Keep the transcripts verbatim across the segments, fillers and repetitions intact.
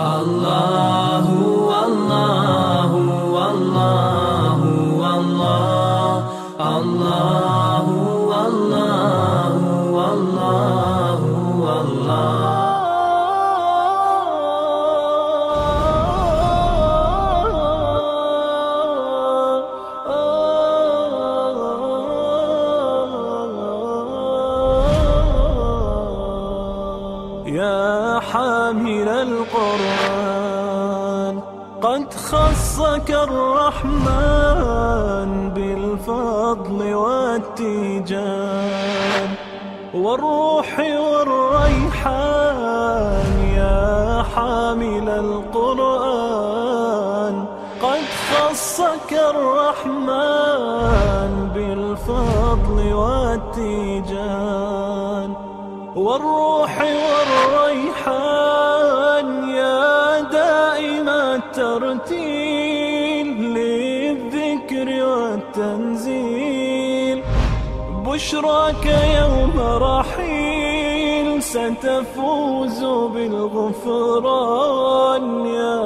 Allahu, Allahu, Allahu, Allah, Allahu, Allahu, Allahu, Allah. يا حامل القرآن قد خصك الرحمن بالفضل والتيجان والروح والريحان. يا حامل القرآن قد خصك الرحمن بالفضل والتيجان والروح والريحان. يا دائم الترتيل للذكر والتنزيل بشراك يوم رحيل ستفوز بالغفران. يا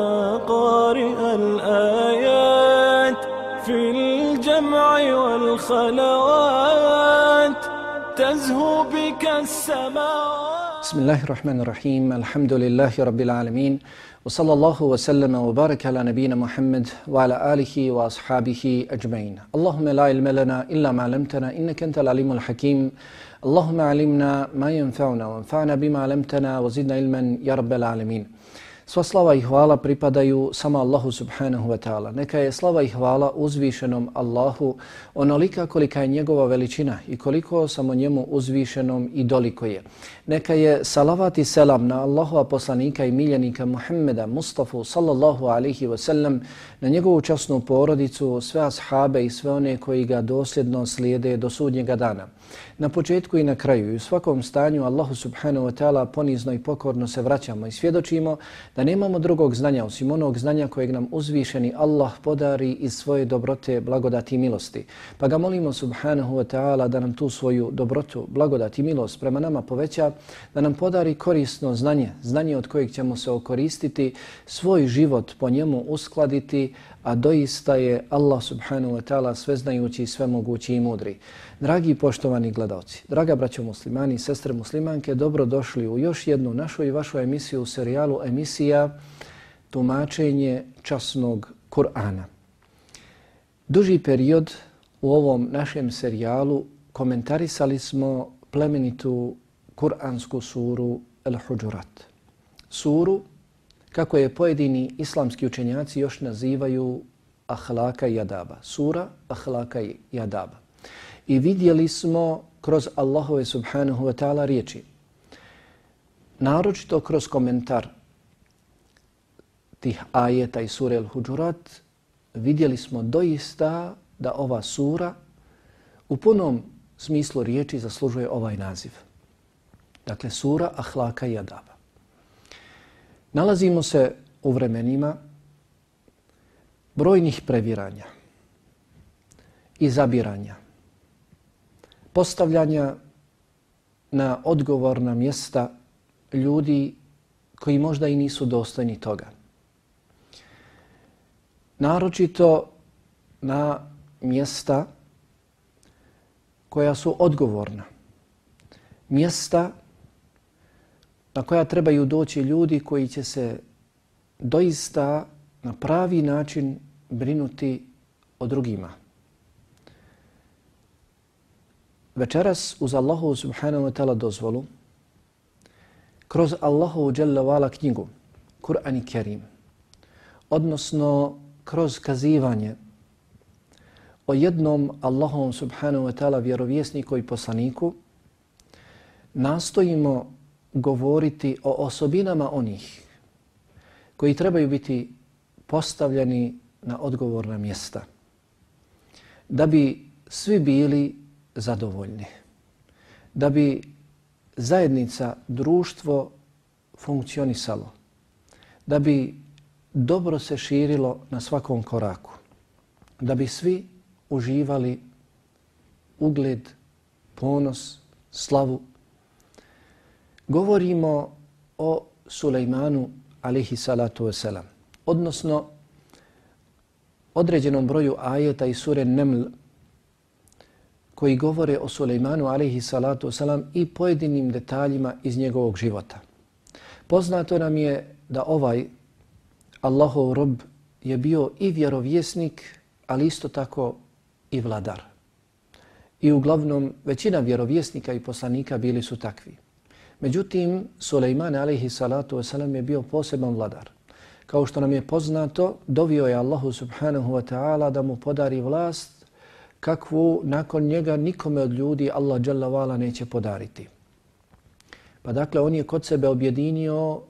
قارئ الآيات في الجمع والخلوات تزهو بك السماوات. بسم الله الرحمن الرحيم. الحمد لله رب العالمين وصلى الله وسلم وبارك على نبينا محمد وعلى آله وأصحابه أجمعين. اللهم لا علم لنا إلا ما علمتنا إنك أنت العليم الحكيم. اللهم علمنا ما ينفعنا وانفعنا بما علمتنا وزدنا علما يا رب العالمين. Sva slava i hvala pripadaju samo Allahu subhanahu wa ta'ala. Neka je slava i hvala uzvišenom Allahu onolika kolika je njegova veličina i koliko samo njemu uzvišenom i doliko je. Neka je salavat i selam na Allahova poslanika i miljenika Muhammeda Mustafa sallallahu alaihi wa sallam, na njegovu časnu porodicu, sve ashabe i sve one koji ga dosljedno slijede do sudnjega dana. Na početku i na kraju i u svakom stanju Allahu subhanahu wa ta'ala ponizno i pokorno se vraćamo i svjedočimo da nemamo drugog znanja osim onog znanja kojeg nam uzvišeni Allah podari iz svoje dobrote, blagodati i milosti. Pa ga molimo subhanahu wa ta'ala da nam tu svoju dobrotu, blagodati i milost prema nama poveća, da nam podari korisno znanje, znanje od kojeg ćemo se okoristiti, svoj život po njemu uskladiti, a doista je Allah subhanahu wa ta'ala sveznajući i svemogući i mudri. Dragi i poštovani gledalci, draga braćo muslimani i sestre muslimanke, dobrodošli u još jednu našu i vašu emisiju u serijalu emisija Tumačenje časnog Kur'ana. Duži period u ovom našem serijalu komentarisali smo plemenitu Kur'ansku suru Al-Huđurat. Suru kako je pojedini islamski učenjaci još nazivaju ahlaka i adaba. Sura ahlaka i adaba. I vidjeli smo kroz Allahove subhanahu wa ta'ala riječi, naročito kroz komentar tih ajeta i sure Al-Huđurat, vidjeli smo doista da ova sura u punom smislu riječi zaslužuje ovaj naziv. Dakle, sura ahlaka i adaba. Nalazimo se u vremenima brojnih previranja, izabiranja, postavljanja na odgovorna mjesta ljudi koji možda i nisu dostojni toga. Naročito na mjesta koja su odgovorna, mjesta na koja trebaju doći ljudi koji će se doista na pravi način brinuti o drugima. Večeras uz Allahu subhanahu wa ta'ala dozvolu, kroz Allahu dželle ve ala knjigu, Kur'an i Kerim, odnosno kroz kazivanje o jednom Allahom subhanahu wa ta'ala vjerovjesniku i poslaniku, nastojimo govoriti o osobinama onih koji trebaju biti postavljeni na odgovorna mjesta, da bi svi bili zadovoljni, da bi zajednica, društvo funkcionisalo, da bi dobro se širilo na svakom koraku, da bi svi uživali ugled, ponos, slavu. Govorimo o Sulejmanu alejhi salatu vesselam, odnosno određenom broju ajeta iz sure Neml koji govore o Sulejmanu alejhi salatu vesselam i pojedinim detaljima iz njegovog života. Poznato nam je da ovaj Allahov rob je bio i vjerovjesnik, ali isto tako i vladar. I uglavnom većina vjerovjesnika i poslanika bili su takvi. Međutim, Sulejman alejhi salatu vesselam je bio poseban vladar. Kao što nam je poznato, dovio je Allahu subhanahu wa ta'ala da mu podari vlast kakvu nakon njega nikome od ljudi Allah dželle ve ala neće podariti. Pa dakle, on je kod sebe objedinio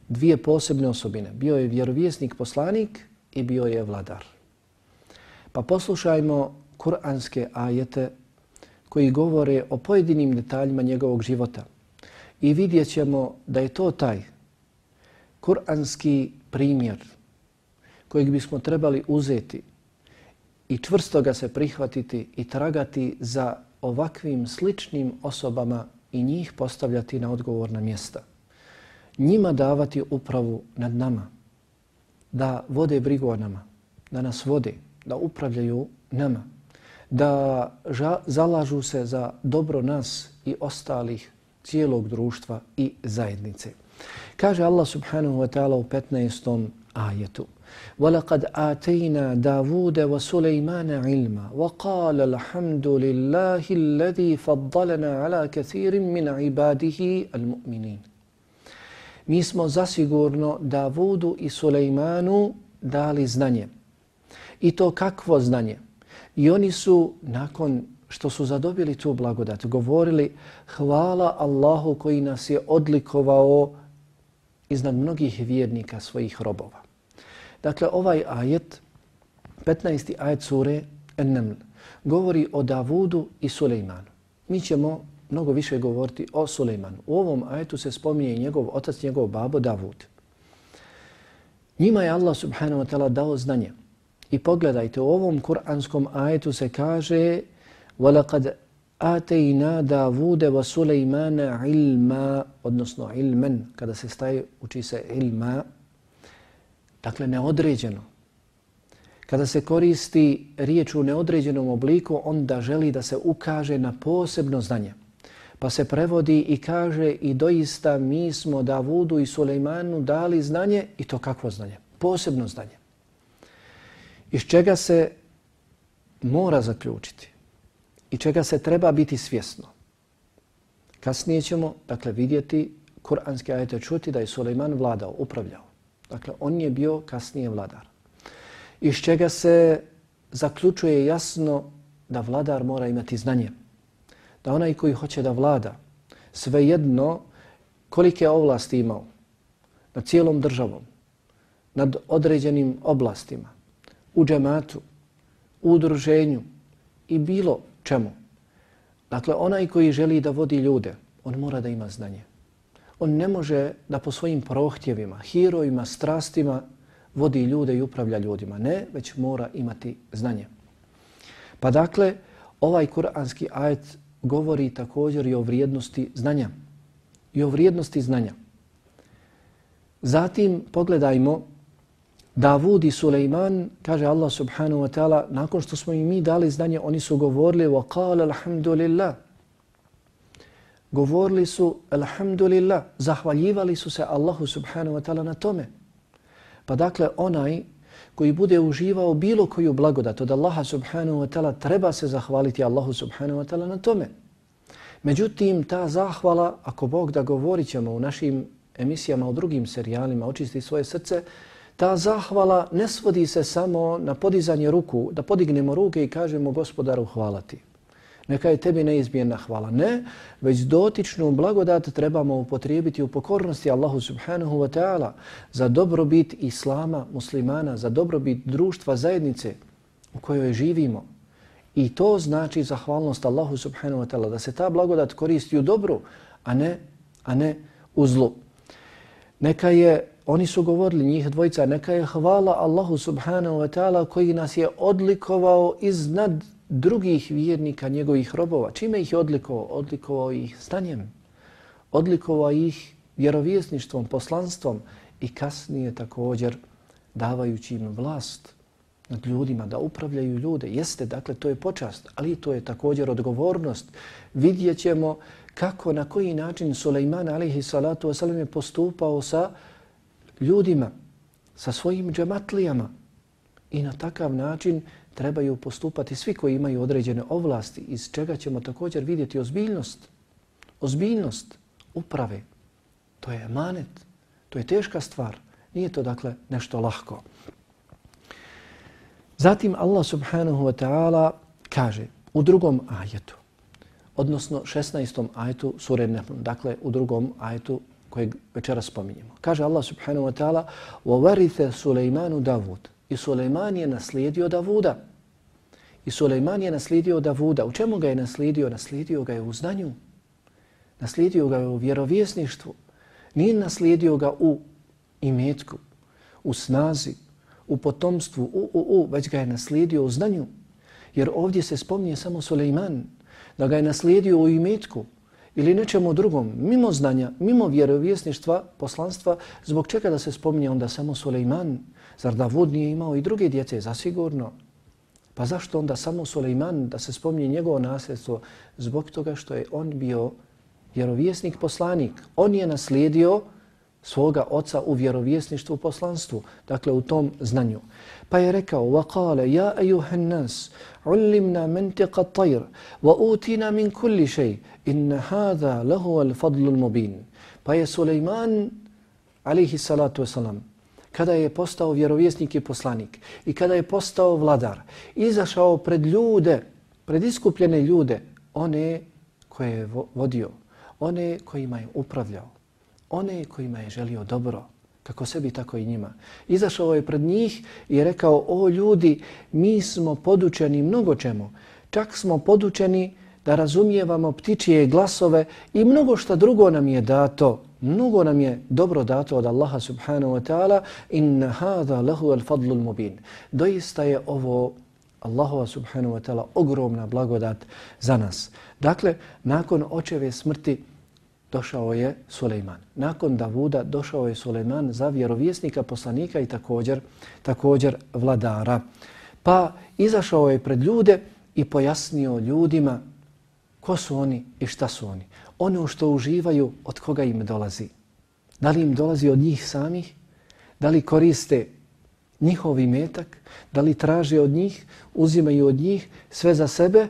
dvije posebne osobine. Bio je vjerovjesnik, poslanik i bio je vladar. Pa poslušajmo kuranske ajete koji govore o pojedinim detaljima njegovog života i vidjet ćemo da je to taj kuranski primjer kojeg bismo trebali uzeti i čvrsto ga se prihvatiti i tragati za ovakvim sličnim osobama i njih postavljati na odgovorna mjesta. Njima davati upravu nad nama, da vode brigu o nama, da nas vode, da upravljaju nama, da ža, zalažu se za dobro nas i ostalih cijelog društva i zajednice. Kaže Allah subhanahu wa ta'ala u petnaestom ajetu: وَلَقَدْ آتَيْنَا دَاوُودَ وَسُلَيْمَانَ عِلْمًا وَقَالَ الْحَمْدُ لِلَّهِ الَّذِي فَضَّلَنَا عَلَى كَثِيرٍ مِنْ عِبَادِهِ الْمُؤْمِنِينَ. Mi smo zasigurno Davudu i Sulejmanu dali znanje. I to kakvo znanje? I oni su, nakon što su zadobili tu blagodat, govorili: hvala Allahu koji nas je odlikovao iznad mnogih vjernika svojih robova. Dakle, ovaj ajet, petnaesti ajet sure An-Naml, govori o Davudu i Sulejmanu. Mi ćemo mnogo više govoriti o Sulejmanu. U ovom ajetu se spominje njegov otac, njegov babo Davud. Njima je Allah subhanahu wa ta'ala dao znanje. I pogledajte, u ovom kuranskom ajetu se kaže: وَلَقَدْ آتَيْنَا دَاوُودَ وَسُلَيْمَانَ عِلْمًا, odnosno ilmen, kada se staje, uči se ilma, dakle neodređeno. Kada se koristi riječ u neodređenom obliku, onda želi da se ukaže na posebno znanje. Pa se prevodi i kaže: i doista mi smo Davudu i Sulejmanu dali znanje, i to kakvo znanje? Posebno znanje. Iz čega se mora zaključiti i čega se treba biti svjesno. Kasnije ćemo, dakle, vidjeti kuranske ajete, čuti da je Sulejman vladao, upravljao. Dakle, on je bio kasnije vladar. Iz čega se zaključuje jasno da vladar mora imati znanje. Da onaj koji hoće da vlada, svejedno kolike ovlasti imao nad cijelom državom, nad određenim oblastima, u džematu, u udruženju i bilo čemu. Dakle, onaj koji želi da vodi ljude, on mora da ima znanje. On ne može da po svojim prohtjevima, hirojima, strastima vodi ljude i upravlja ljudima. Ne, već mora imati znanje. Pa dakle, ovaj kuranski ajet govori također i o vrijednosti znanja. I o vrijednosti znanja. Zatim pogledajmo Davud i Sulejman, kaže Allah subhanahu wa ta'ala, nakon što smo im mi dali znanje, oni su govorili: وَقَالَ الْحَمْدُ لِلَّهِ. Govorili su alhamdulillah, zahvaljivali su se Allahu subhanahu wa ta'ala na tome. Pa dakle, onaj koji bude uživao bilo koju blagodat od Allaha subhanahu wa ta'ala, treba se zahvaliti Allahu subhanahu wa ta'ala na tome. Međutim, ta zahvala, ako Bog da govorit ćemo u našim emisijama, u drugim serijalima, Očisti svoje srce, ta zahvala ne svodi se samo na podizanje ruku, da podignemo ruke i kažemo: Gospodaru, hvala ti. Neka je tebi neizmjerna hvala. Ne, već dotičnu blagodat trebamo upotrijebiti u pokornosti Allahu subhanahu wa ta'ala za dobrobit islama, muslimana, za dobrobit društva, zajednice u kojoj živimo. I to znači zahvalnost Allahu subhanahu wa ta'ala, da se ta blagodat koristi u dobru, a ne, a ne u zlu. Neka je, oni su govorili, njih dvojica, neka je hvala Allahu subhanahu wa ta'ala koji nas je odlikovao iznad drugih vjernika, njegovih robova. Čime ih je odlikovao? Odlikovao ih znanjem. Odlikovao ih vjerovjesništvom, poslanstvom i kasnije također davajući im vlast nad ljudima, da upravljaju ljude. Jeste, dakle, to je počast, ali to je također odgovornost. Vidjet ćemo kako, na koji način Sulejman alejhi salatu vesselam je postupao sa ljudima, sa svojim džematlijama. I na takav način trebaju postupati svi koji imaju određene ovlasti, iz čega ćemo također vidjeti ozbiljnost. Ozbiljnost uprave. To je emanet, to je teška stvar. Nije to, dakle, nešto lahko. Zatim Allah subhanahu wa ta'ala kaže u drugom ajetu, odnosno šesnaestom ajetu sure Nahl, dakle u drugom ajetu kojeg večeras spominjemo. Kaže Allah subhanahu wa ta'ala وَوَرِثَ سُلَيْمَانُ دَاوُدَ I Sulejman je naslijedio Davuda. I Sulejman je naslijedio Davuda. U čemu ga je naslijedio? Naslijedio ga je u znanju. Naslijedio ga je u vjerovjesništvu. Nije naslijedio ga u imetku, u snazi, u potomstvu, u, u, u, već ga je naslijedio u znanju. Jer ovdje se spominje samo Sulejman, da ga je naslijedio u imetku ili nečemu drugom, mimo znanja, mimo vjerovjesništva, poslanstva, zbog čega da se spominje onda samo Sulejman? Zar Davud nije imao i druge djece? Zasigurno. Pa zašto onda samo Sulejman, da se spominje njegovo nasljedstvo? Zbog toga što je on bio vjerovjesnik, poslanik. On je naslijedio svoga oca u vjerovjesništvu, poslanstvu, dakle u tom znanju. Pa je rekao, وَقَالَ يَا أَيُّهَا النَّاسِ عُلِّمْنَا مَنْتِقَ الطَّيْرِ وَأُوتِينَا مِنْ كُلِّ شَيْءٍ إِنَّ هَذَا لَهُوَ الْفَضْلُ الْمُبِينُ. Pa je Sulejman, alejhi salatu wasalam, kada je postao vjerovjesnik i poslanik i kada je postao vladar, izašao pred ljude, pred iskupljene ljude, one koje je vodio, one kojima je upravljao, one kojima je želio dobro, kako sebi, tako i njima. Izašao je pred njih i rekao, o ljudi, mi smo podučeni mnogo čemu. Čak smo podučeni da razumijevamo ptičije glasove i mnogo šta drugo nam je dato. Mnogo nam je dobro dato od Allaha subhanahu wa ta'ala. Inna hadha lahu al-fadlu al-mubin. Doista je ovo Allahova subhanahu wa ta'ala ogromna blagodat za nas. Dakle, nakon očeve smrti došao je Sulejman. Nakon Davuda došao je Sulejman za vjerovjesnika, poslanika i također, također vladara. Pa izašao je pred ljude i pojasnio ljudima ko su oni i šta su oni. Ono što uživaju, od koga im dolazi. Da li im dolazi od njih samih? Da li koriste njihov imetak? Da li traže od njih, uzimaju od njih sve za sebe?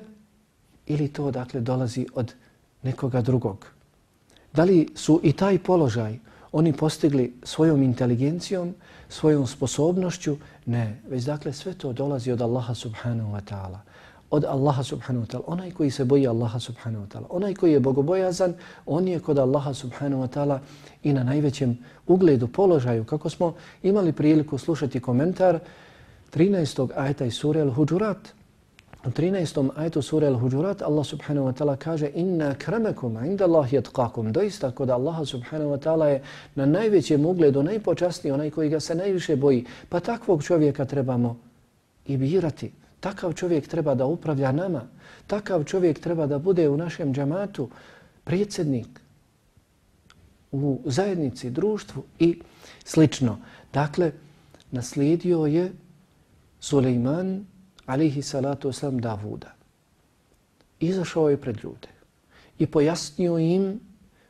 Ili to, dakle, dolazi od nekoga drugog? Da li su i taj položaj oni postigli svojom inteligencijom, svojom sposobnošću? Ne, već dakle sve to dolazi od Allaha subhanahu wa ta'ala. Od Allaha subhanahu wa ta'ala. Onaj koji se boji Allaha subhanahu wa ta'ala, onaj koji je bogobojazan, on je kod Allaha subhanahu wa ta'ala i na najvećem ugledu, položaju. Kako smo imali priliku slušati komentar trinaestog ajeta iz sure Al-Huđurat. U trinaestom ajetu sure Al-Huđurat Allah subhanahu wa ta'ala kaže inna kramakum inda Allahi atqakum. Doista kod Allaha subhanahu wa ta'ala je na najvećem ugledu, najpočasniji, onaj koji ga se najviše boji. Pa takvog čovjeka trebamo i birati. Takav čovjek treba da upravlja nama. Takav čovjek treba da bude u našem džamatu predsjednik, u zajednici, društvu i slično. Dakle, naslijedio je Sulejman alejhi salatu wasalam Davuda. Izašao je pred ljude i pojasnio im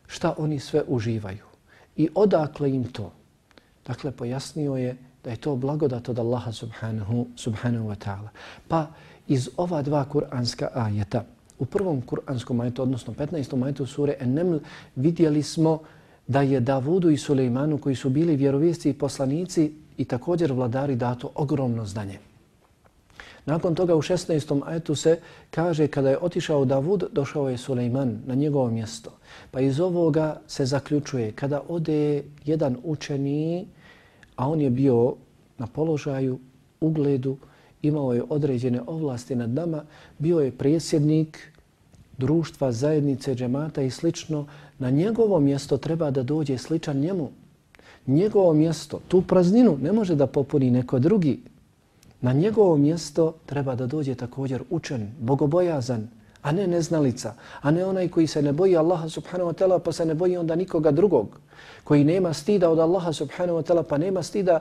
šta oni sve uživaju i odakle im to. Dakle, pojasnio je da je to blagodat od Allaha subhanahu, subhanahu wa ta'ala. Pa iz ova dva kuranska ajeta, u prvom kuranskom ajetu, odnosno petnaestom ajetu sure An-Naml, vidjeli smo da je Davudu i Sulejmanu, koji su bili vjerovjesci i poslanici i također vladari, dato ogromno znanje. Nakon toga u šesnaestom ajetu se kaže kada je otišao Davud, došao je Sulejman na njegovo mjesto. Pa iz ovoga se zaključuje kada ode jedan učeni, a on je bio na položaju, ugledu, imao je određene ovlasti nad nama, bio je predsjednik društva, zajednice, džemata i slično, na njegovo mjesto treba da dođe sličan njemu. Njegovo mjesto, tu prazninu ne može da popuni neko drugi. Na njegovo mjesto treba da dođe također učen, bogobojazan, a ne neznalica, a ne onaj koji se ne boji Allaha subhanahu wa ta'ala pa se ne boji onda nikoga drugog, koji nema stida od Allaha subhanahu wa ta'ala pa nema stida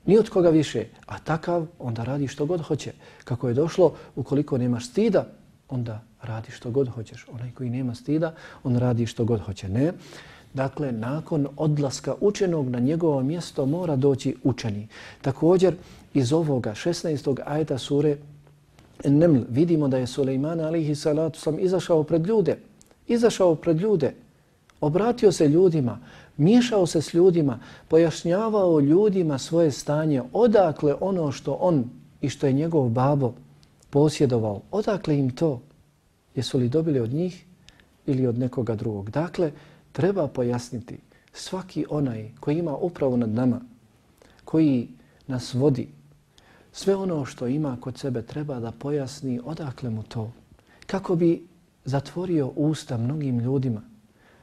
ni od koga više, a takav onda radi što god hoće. Kako je došlo, ukoliko nemaš stida, onda radi što god hoćeš. Onaj koji nema stida, on radi što god hoće. Ne. Dakle, nakon odlaska učenog na njegovo mjesto mora doći učeni. Također, iz ovoga šesnaestog ajeta sure Neml vidimo da je Sulejman alejhi salatu sam izašao pred ljude. Izašao pred ljude, obratio se ljudima, miješao se s ljudima, pojašnjavao ljudima svoje stanje, odakle ono što on i što je njegov babo posjedovao, odakle im to? Jesu li dobili od njih ili od nekoga drugog? Dakle, treba pojasniti svaki onaj koji ima upravu nad nama, koji nas vodi, sve ono što ima kod sebe treba da pojasni odakle mu to. Kako bi zatvorio usta mnogim ljudima.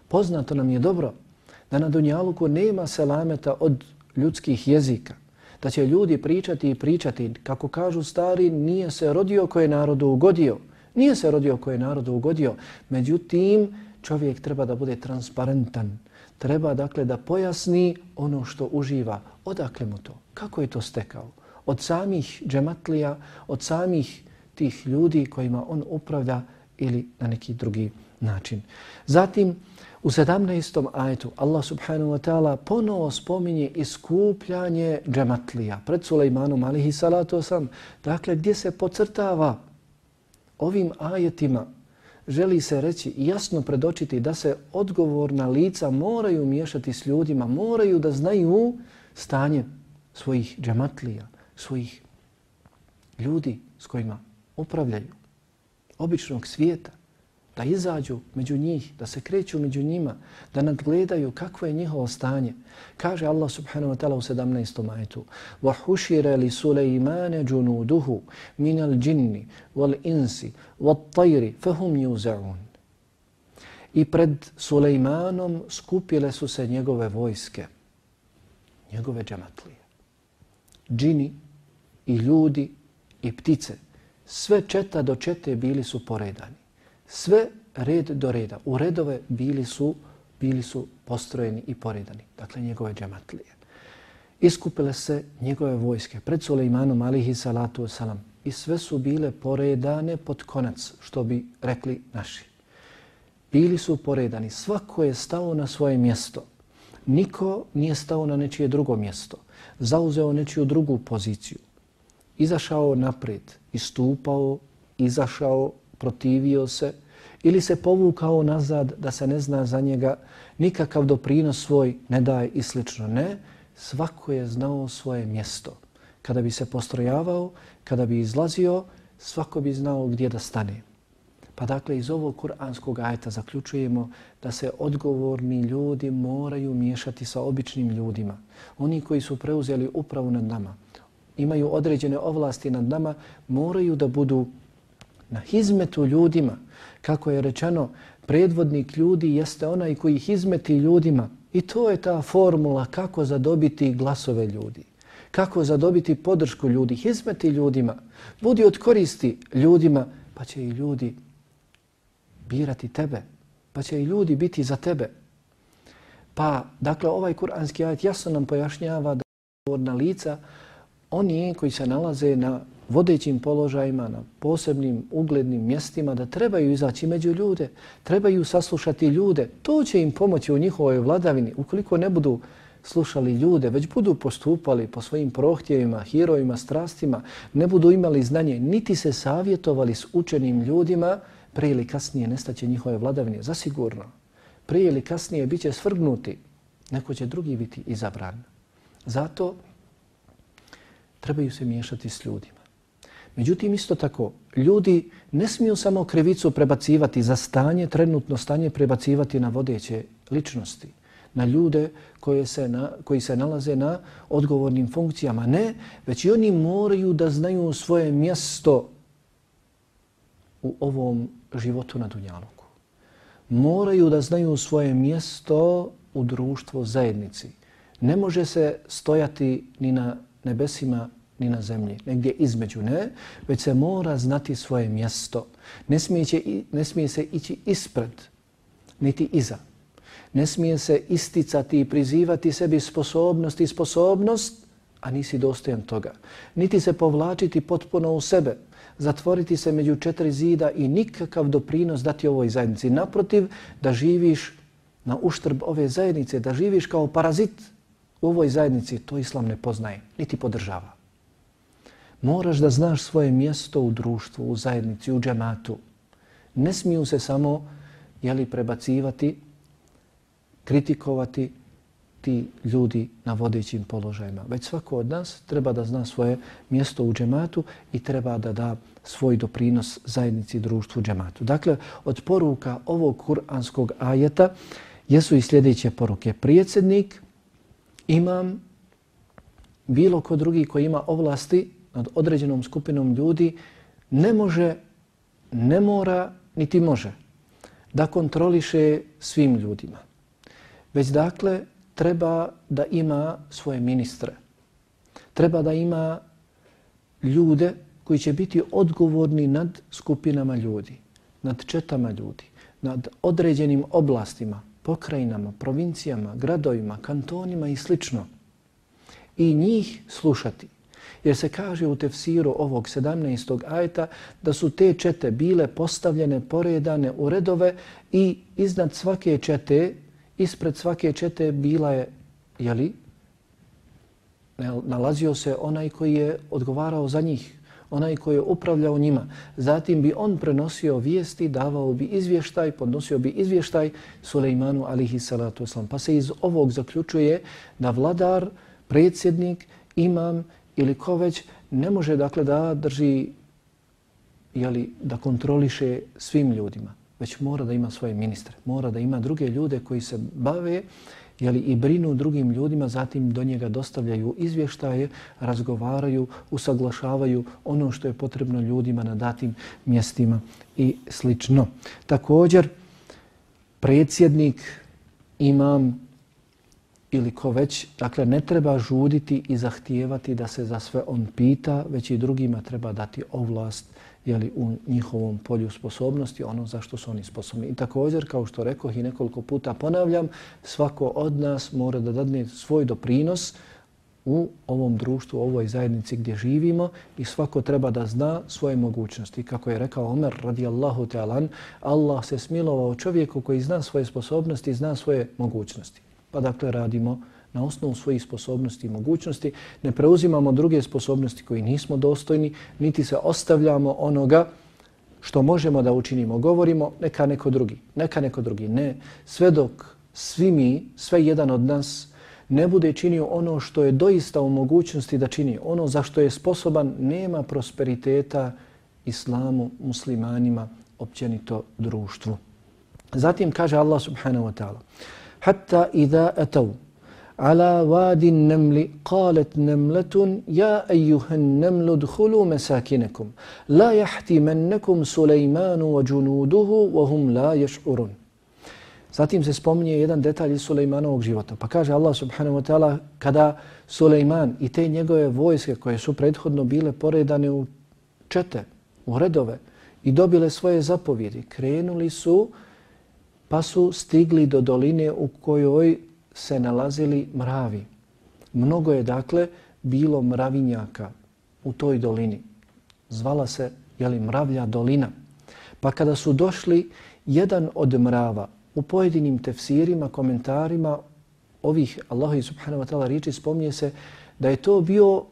Poznato nam je dobro da na Dunjaluku nema selameta od ljudskih jezika. Da će ljudi pričati i pričati. Kako kažu stari, nije se rodio koje je narodu ugodio. Nije se rodio koje je narodu ugodio. Međutim, čovjek treba da bude transparentan. Treba dakle da pojasni ono što uživa. Odakle mu to? Kako je to stekao? Od samih džematlija, od samih tih ljudi kojima on upravlja ili na neki drugi način. Zatim, u sedamnaestom ajetu Allah subhanahu wa ta'ala ponovo spominje iskupljanje džematlija pred Sulejmanom alejhi salatu wasalam. Dakle, gdje se podcrtava ovim ajetima, želi se reći i jasno predočiti da se odgovorna lica moraju miješati s ljudima, moraju da znaju stanje svojih džematlija, svojih ljudi s kojima upravljaju, običnog svijeta, da izađu među njih, da se kreću među njima, da nadgledaju kakvo je njihovo stanje. Kaže Allah subhanahu wa ta'ala u sedamnaestom ajetu: وَحُشِرَ لِسُلَيْمَانَ جُنُودُهُ مِنَ الْجِنِّ وَالْإِنسِ وَالطَّيْرِ فَهُمْ يُوزَعُونَ. I pred Sulejmanom skupile su se njegove vojske, njegove džematlije. Džini i ljudi i ptice, sve četa do čete bili su poredani. Sve red do reda, u redove bili su, bili su postrojeni i poredani. Dakle, njegove džematlije. Iskupile se njegove vojske pred Sulejmanom alejhi salatu wasalam i sve su bile poredane pod konac, što bi rekli naši. Bili su poredani, svako je stao na svoje mjesto. Niko nije stao na nečije drugo mjesto, zauzeo nečiju drugu poziciju. Izašao naprijed, istupao, izašao, protivio se ili se povukao nazad da se ne zna za njega, nikakav doprinos svoj ne daje i slično. Ne, svako je znao svoje mjesto. Kada bi se postrojavao, kada bi izlazio, svako bi znao gdje da stane. Pa dakle, iz ovog kuranskog ajeta zaključujemo da se odgovorni ljudi moraju miješati sa običnim ljudima. Oni koji su preuzeli upravu nad nama, imaju određene ovlasti nad nama, moraju da budu na hizmetu ljudima. Kako je rečeno, predvodnik ljudi jeste onaj koji hizmeti ljudima. I to je ta formula kako zadobiti glasove ljudi. Kako zadobiti podršku ljudi, hizmeti ljudima. Budi od koristi ljudima, pa će i ljudi birati tebe. Pa će i ljudi biti za tebe. Pa, dakle, ovaj kuranski ajet jasno nam pojašnjava da odgovorna lica, oni koji se nalaze na vodećim položajima, na posebnim uglednim mjestima, da trebaju izaći među ljude, trebaju saslušati ljude. To će im pomoći u njihovoj vladavini. Ukoliko ne budu slušali ljude, već budu postupali po svojim prohtjevima, hirovima, strastima, ne budu imali znanje, niti se savjetovali s učenim ljudima, prije ili kasnije nestaće njihove vladavine. Zasigurno. Prije ili kasnije bit će svrgnuti. Neko će drugi biti izabran. Zato trebaju se miješati s ljudima. Međutim, isto tako, ljudi ne smiju samo krivicu prebacivati za stanje, trenutno stanje prebacivati na vodeće ličnosti, na ljude koje se na, koji se nalaze na odgovornim funkcijama. Ne, već i oni moraju da znaju svoje mjesto u ovom životu na Dunjaluku. Moraju da znaju svoje mjesto u društvu, zajednici. Ne može se stojati ni na nebesima ni na zemlji, negdje između, ne, već se mora znati svoje mjesto. Ne smije, će, ne smije se ići ispred, niti iza. Ne smije se isticati i prizivati sebi sposobnost i sposobnost, a nisi dostojan toga. Niti se povlačiti potpuno u sebe, zatvoriti se među četiri zida i nikakav doprinos dati ovoj zajednici. Naprotiv, da živiš na uštrb ove zajednice, da živiš kao parazit u ovoj zajednici, to Islam ne poznaje, niti podržava. Moraš da znaš svoje mjesto u društvu, u zajednici, u džematu. Ne smiju se samo jeli, prebacivati, kritikovati ti ljudi na vodećim položajima. Već svako od nas treba da zna svoje mjesto u džematu i treba da da svoj doprinos zajednici, društvu, džematu. Dakle, od poruka ovog kuranskog ajeta jesu i sljedeće poruke. Predsjednik, imam, bilo ko drugi koji ima ovlasti nad određenom skupinom ljudi, ne može, ne mora, niti može da kontroliše svim ljudima. Već dakle, treba da ima svoje ministre. Treba da ima ljude koji će biti odgovorni nad skupinama ljudi, nad četama ljudi, nad određenim oblastima, pokrajinama, provincijama, gradovima, kantonima i slično. I njih slušati. Jer se kaže u tefsiru ovog sedamnaestog ajeta da su te čete bile postavljene, poredane u redove i iznad svake čete, ispred svake čete bila je, jeli, nalazio se onaj koji je odgovarao za njih, onaj koji je upravljao njima. Zatim bi on prenosio vijesti, davao bi izvještaj, podnosio bi izvještaj Sulejmanu alihi salatu wasalam. Pa se iz ovog zaključuje da vladar, predsjednik, imam ili ko već ne može dakle da drži, jeli, da kontroliše svim ljudima, već mora da ima svoje ministre, mora da ima druge ljude koji se bave, jeli, i brinu drugim ljudima, zatim do njega dostavljaju izvještaje, razgovaraju, usaglašavaju ono što je potrebno ljudima na datim mjestima i slično. Također, predsjednik, imam ili ko već, dakle ne treba žuditi i zahtijevati da se za sve on pita, već i drugima treba dati ovlast, jeli, u njihovom polju sposobnosti, ono za što su oni sposobni. I također, kao što rekoh i nekoliko puta ponavljam, svako od nas mora da dadne svoj doprinos u ovom društvu, u ovoj zajednici gdje živimo i svako treba da zna svoje mogućnosti. Kako je rekao Omer radijallahu ta'ala, Allah se smilovao čovjeku koji zna svoje sposobnosti, zna svoje mogućnosti. Pa dakle radimo na osnovu svojih sposobnosti i mogućnosti, ne preuzimamo druge sposobnosti koji nismo dostojni, niti se ostavljamo onoga što možemo da učinimo. Govorimo neka neko drugi, neka neko drugi. Ne, sve dok svi mi, sve jedan od nas ne bude činio ono što je doista u mogućnosti da čini, ono za što je sposoban, nema prosperiteta islamu, muslimanima, općenito društvu. Zatim kaže Allah subhanahu wa ta'ala: Hatta idha ataw ala wadi an-naml qalat namlatun ya ayyuha an-namlu udkhulu masakinakum la yahtimannakum Sulejman wa junuduhu wa hum la yash'urun. Zatim se spominje jedan detalj iz Sulejmanovog života. Pa kaže Allah subhanahu wa ta'ala, kada Sulejman i te njegove vojske koje su prethodno bile poredane u čete, u redove i dobile svoje zapovjedi, krenuli su pa su stigli do doline u kojoj se nalazili mravi. Mnogo je dakle bilo mravinjaka u toj dolini. Zvala se, jeli, Mravlja dolina. Pa kada su došli, jedan od mrava u pojedinim tefsirima, komentarima ovih Allahovi subhanahu wa ta'ala riječi spominje se da je to bio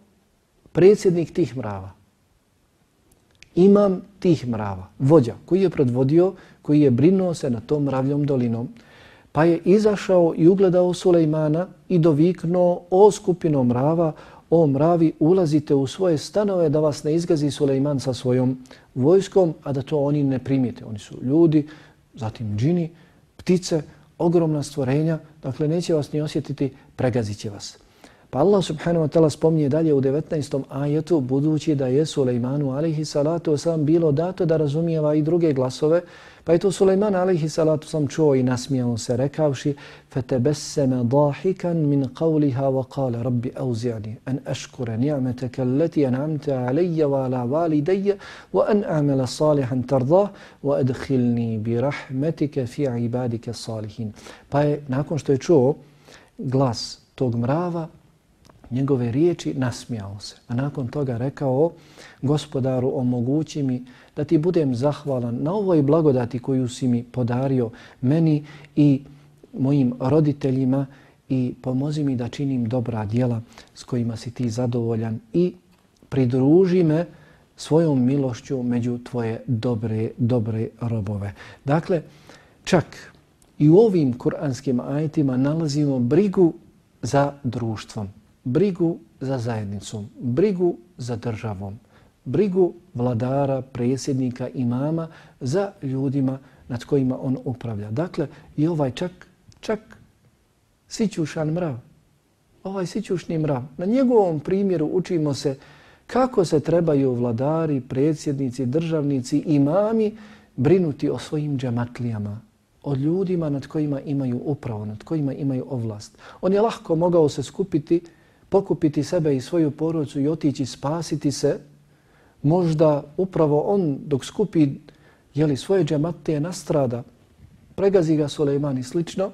predsjednik tih mrava. Imam tih mrava, vođa koji je predvodio, koji je brinuo se na tom mravljom dolinom, pa je izašao i ugledao Sulejmana i doviknuo: o skupino mrava, o mravi, ulazite u svoje stanove da vas ne izgazi Sulejman sa svojom vojskom, a da to oni ne primijete. Oni su ljudi, zatim džini, ptice, ogromna stvorenja, dakle neće vas ni osjetiti, pregazit će vas. Pa Allah subhanahu wa ta'ala spominje dalje u devetnaestom ajetu, budući da je Sulejmanu alaihi salatu wasalam bilo dato da razumijeva i druge glasove, Pa je to Sulejman alejhi salatu sam čuo i nasmijao se rekavši فَتَبَسَّمَ ضَاحِكًا مِنْ قَوْلِهَا وَقَالَ رَبِّ أَوْزِعْنِي أَنْ أَشْكُرَ نِعْمَتَكَ الَّتِي أَنْعَمْتَ عَلَيَّ وَعَلَى وَالِدَيَّ وَأَنْ أَعْمَلَ صَالِحًا تَرْضَاهُ وَأَدْخِلْنِي بِرَحْمَتِكَ فِي عِبَادِكَ الصَّالِحِينَ. Pa je nakon što je čuo glas tog mrava, njegove riječi, nasmijao se. A nakon toga rekao: Gospodaru, omogući mi da ti budem zahvalan na ovoj blagodati koju si mi podario meni i mojim roditeljima i pomozi mi da činim dobra djela s kojima si ti zadovoljan i pridruži me svojom milošću među tvoje dobre, dobre robove. Dakle, čak i u ovim kuranskim ajetima nalazimo brigu za društvom, brigu za zajednicom, brigu za državom, brigu vladara, predsjednika, imama za ljudima nad kojima on upravlja. Dakle, i ovaj čak, čak sićušan mrav, ovaj sićušni mrav, na njegovom primjeru učimo se kako se trebaju vladari, predsjednici, državnici, imami brinuti o svojim džematlijama, o ljudima nad kojima imaju upravo, nad kojima imaju ovlast. On je lahko mogao se skupiti, pokupiti sebe i svoju porodicu i otići spasiti se. Možda upravo on dok skupi jeli, svoje džematlije nastrada, pregazi ga Sulejman i slično,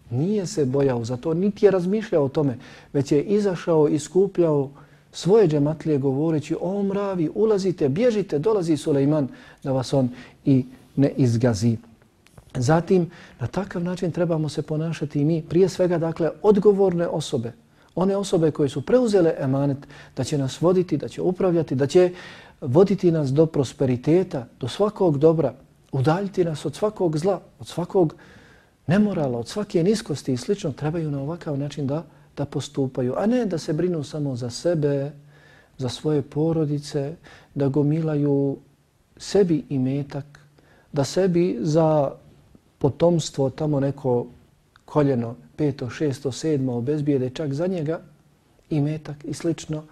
nije se bojao za to, niti je razmišljao o tome, već je izašao i skupljao svoje džematlije govoreći: o mravi, ulazite, bježite, dolazi Sulejman da vas on i ne izgazi. Zatim, na takav način trebamo se ponašati i mi, prije svega, dakle, odgovorne osobe, one osobe koje su preuzele emanet da će nas voditi, da će upravljati, da će voditi nas do prosperiteta, do svakog dobra, udaljiti nas od svakog zla, od svakog nemorala, od svake niskosti i slično, trebaju na ovakav način da, da postupaju, a ne da se brinu samo za sebe, za svoje porodice, da gomilaju sebi imetak, da sebi za potomstvo tamo neko koljeno, peto, šesto, sedmo, obezbijede čak za njega imetak i slično,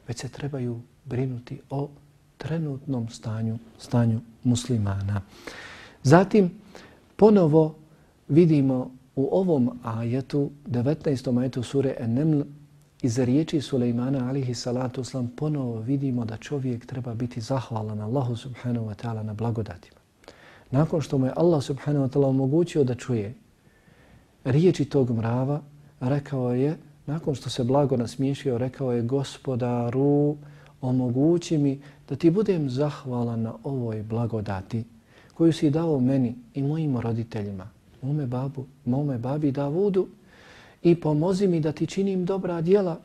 već se trebaju brinuti o trenutnom stanju, stanju muslimana. Zatim, ponovo vidimo u ovom ajetu, devetnaestom ajetu sure En-Neml, iz riječi Sulejmana alejhi salatu vesselam, ponovo vidimo da čovjek treba biti zahvalan Allahu subhanahu wa ta'ala na blagodatima. Nakon što mu je Allah subhanahu wa ta'ala omogućio da čuje riječi tog mrava, rekao je, nakon što se blago nasmiješio, rekao je: Gospodaru, omogući mi da ti budem zahvalan na ovoj blagodati koju si dao meni i mojim roditeljima, mome babu, mome babi Davudu, i pomozi mi da ti činim dobra djela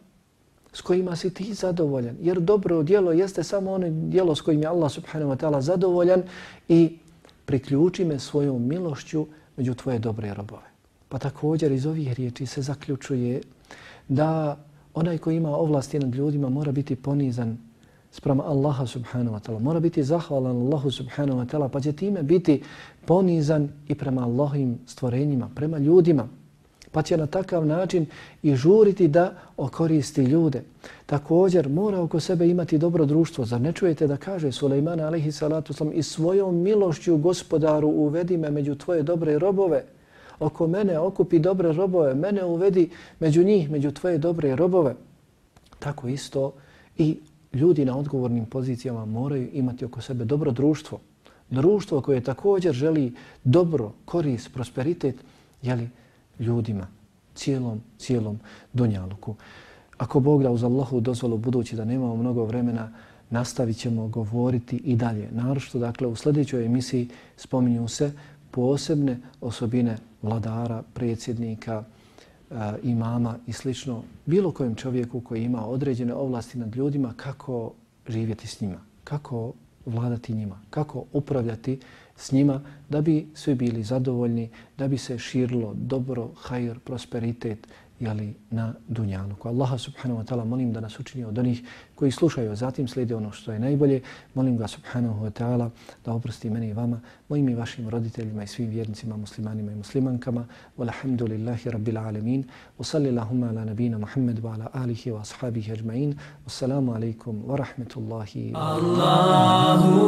s kojima si ti zadovoljan. Jer dobro djelo jeste samo ono djelo s kojim je Allah subhanahu wa ta'ala zadovoljan, i priključi me svojom milošću među tvoje dobre robove. Pa također iz ovih riječi se zaključuje da onaj koji ima ovlasti nad ljudima mora biti ponizan sprema Allaha subhanahu wa ta'ala. Mora biti zahvalan Allahu subhanahu wa ta'ala, pa će time biti ponizan i prema Allahovim stvorenjima, prema ljudima. Pa će na takav način i žuriti da okoristi ljude. Također mora oko sebe imati dobro društvo. Zar ne čujete da kaže Sulejman alejhi salatu vesselam: i svojom milošću, Gospodaru, uvedi me među tvoje dobre robove. Oko mene okupi dobre robove, mene uvedi među njih, među tvoje dobre robove. Tako isto i ljudi na odgovornim pozicijama moraju imati oko sebe dobro društvo. Društvo koje također želi dobro, korist, prosperitet, jeli, ljudima, cijelom, cijelom dunjaluku. Ako Bog da uz Allahu dozvolu, budući da nemamo mnogo vremena, nastavit ćemo govoriti i dalje. Naročito, dakle, u sljedećoj emisiji spominju se posebne osobine vladara, predsjednika, imama i slično, bilo kojem čovjeku koji ima određene ovlasti nad ljudima, kako živjeti s njima, kako vladati njima, kako upravljati s njima da bi svi bili zadovoljni, da bi se širilo dobro, hajr, prosperitet, jeli, na dunjaluku. Allaha subhanahu wa ta'ala molim da nas učini od onih koji slušaju, zatim slijede ono što je najbolje. Molim ga subhanahu wa ta'ala da oprosti meni i vama, mojim i vašim roditeljima i svim vjernicima, muslimanima i muslimankama. Walhamdulillahi rabbil alamin. Wa sallillahumma ala nabina Muhammad wa ala alihi wa ashabihi ajma'in. Wassalamu alaikum wa rahmatullahi wa barakatuh.